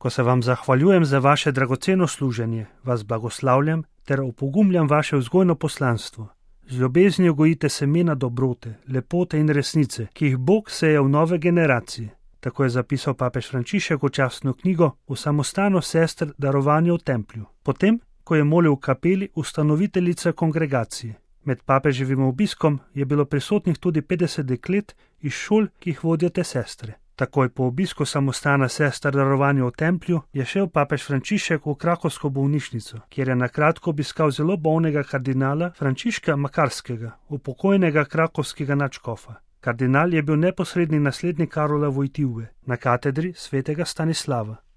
Ko se vam zahvaljujem za vaše dragoceno služenje, vas blagoslavljam ter opogumljam vaše vzgojno poslanstvo. Z ljubeznijo gojite semena dobrote, lepote in resnice, ki jih Bog seje v nove generacije. Tako je zapisal papež Frančišek v častno knjigo V samostanu sester darovanja v templju. Potem, ko je molil v kapeli ustanoviteljica kongregacije. Med papeževim obiskom je bilo prisotnih tudi 50 deklet iz šol, ki jih vodijo te sestre. Takoj po obisku samostana sester darovanja v templju je šel papež Frančišek v krakovsko bolnišnico, kjer je na kratko obiskal zelo bolnega kardinala Frančiška Makarskega, upokojnega krakovskega nadškofa. Kardinal je bil neposredni naslednik Karola Vojtive na katedri svetega Stanislava.